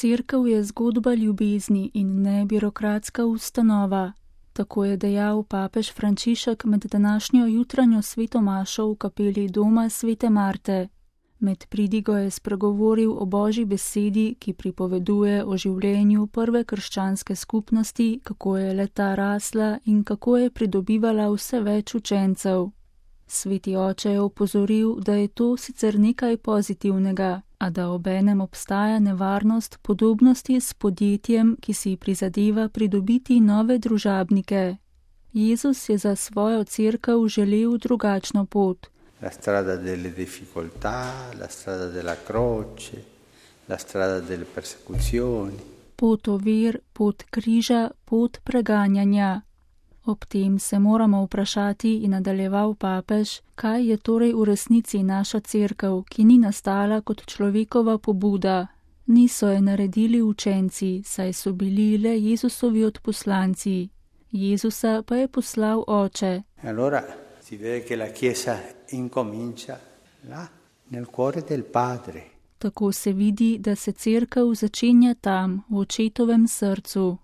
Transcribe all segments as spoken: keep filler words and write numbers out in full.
Cerkev je zgodba ljubezni in ne birokratska ustanova. Tako je dejal papež Frančišek med današnjo jutranjo sveto mašo v kapeli doma svete Marte. Med pridigo je spregovoril o Božji besedi, ki pripoveduje o življenju prve krščanske skupnosti, kako je le-ta rasla in kako je pridobivala vse več učencev. Sveti oče je opozoril, da je to sicer nekaj pozitivnega, a da obenem obstaja nevarnost podobnosti s podjetjem, ki si prizadeva pridobiti nove družabnike. Jezus je za svojo cerkev želel drugačno pot. La strada delle difficoltà, la strada della croce, la strada delle persecuzioni. Pot ovir, pot križa, pot preganjanja. Ob tem se moramo vprašati, in nadaljeval papež, kaj je torej v resnici naša cerkev, ki ni nastala kot človekova pobuda. Niso je naredili učenci, saj so bili le Jezusovi odposlanci. Jezusa pa je poslal Oče. Allora si vede che la Chiesa incomincia là, nel cuore del Padre. Tako se vidi, da se cerkev začenja tam, v Očetovem srcu.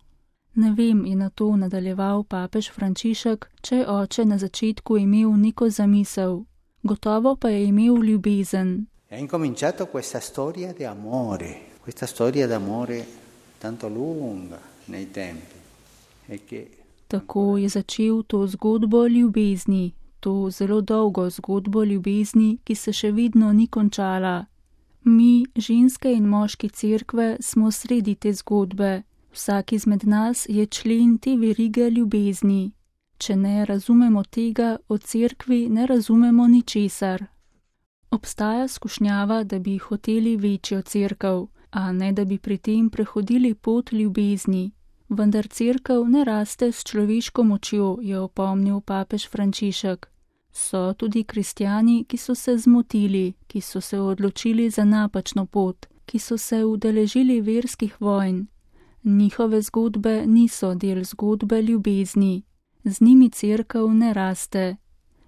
Ne vem, je na to nadaljeval papež Frančišek, če je Oče na začetku imel neko zamisel. Gotovo pa je imel ljubezen. È incominciato questa storia di amore, questa storia d'amore tanto lunga nei tempi. E che... Tako je začel to zgodbo ljubezni, to zelo dolgo zgodbo ljubezni, ki se še vedno ni končala. Mi, ženske in moški cerkve, smo sredi te zgodbe. Vsak izmed nas je člen te verige ljubezni. Če ne razumemo tega, o cerkvi ne razumemo ničesar. Obstaja skušnjava, da bi hoteli večjo cerkev, a ne da bi pri tem prehodili pot ljubezni. Vendar cerkev ne raste s človeško močjo, je opomnil papež Frančišek. So tudi kristjani, ki so se zmotili, ki so se odločili za napačno pot, ki so se udeležili verskih vojn. Njihove zgodbe niso del zgodbe ljubezni. Z njimi cerkev ne raste.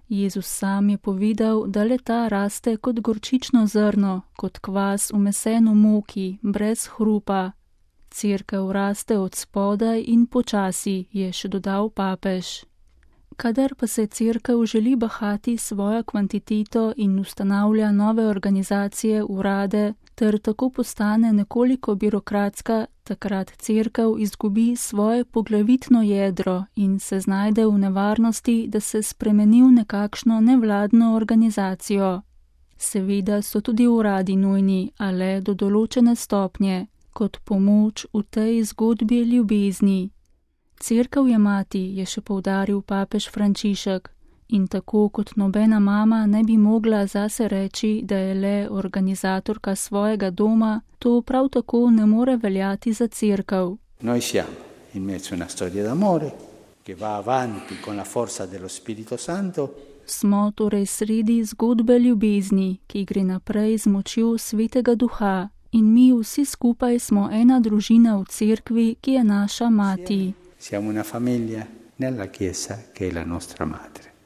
Jezus sam je povedal, da le-ta raste kot gorčično zrno, kot kvas v mesenu moki, brez hrupa. Cerkev raste od spodaj in počasi, je še dodal papež. Kadar pa se cerkev želi bahati svojo kvantiteto in ustanavlja nove organizacije, urade, ter tako postane nekoliko birokratska, takrat cerkev izgubi svoje poglavitno jedro in se znajde v nevarnosti, da se spremeni v nekakšno nevladno organizacijo. Seveda so tudi uradi nujni, a le do določene stopnje, kot pomoč v tej zgodbi ljubezni. Cerkev je mati, je še poudaril papež Frančišek, in tako kot nobena mama ne bi mogla zase reči, da je le organizatorka svojega doma, to prav tako ne more veljati za cerkev. Noi siamo in mezzo a una storia d'amore che va avanti con la forza dello Spirito Santo. Smo torej sredi zgodbe ljubezni, ki gre naprej z močjo Svetega Duha, in mi vsi skupaj smo ena družina v cerkvi, ki je naša mati. Siamo una famiglia nella Chiesa che è la nostra madre.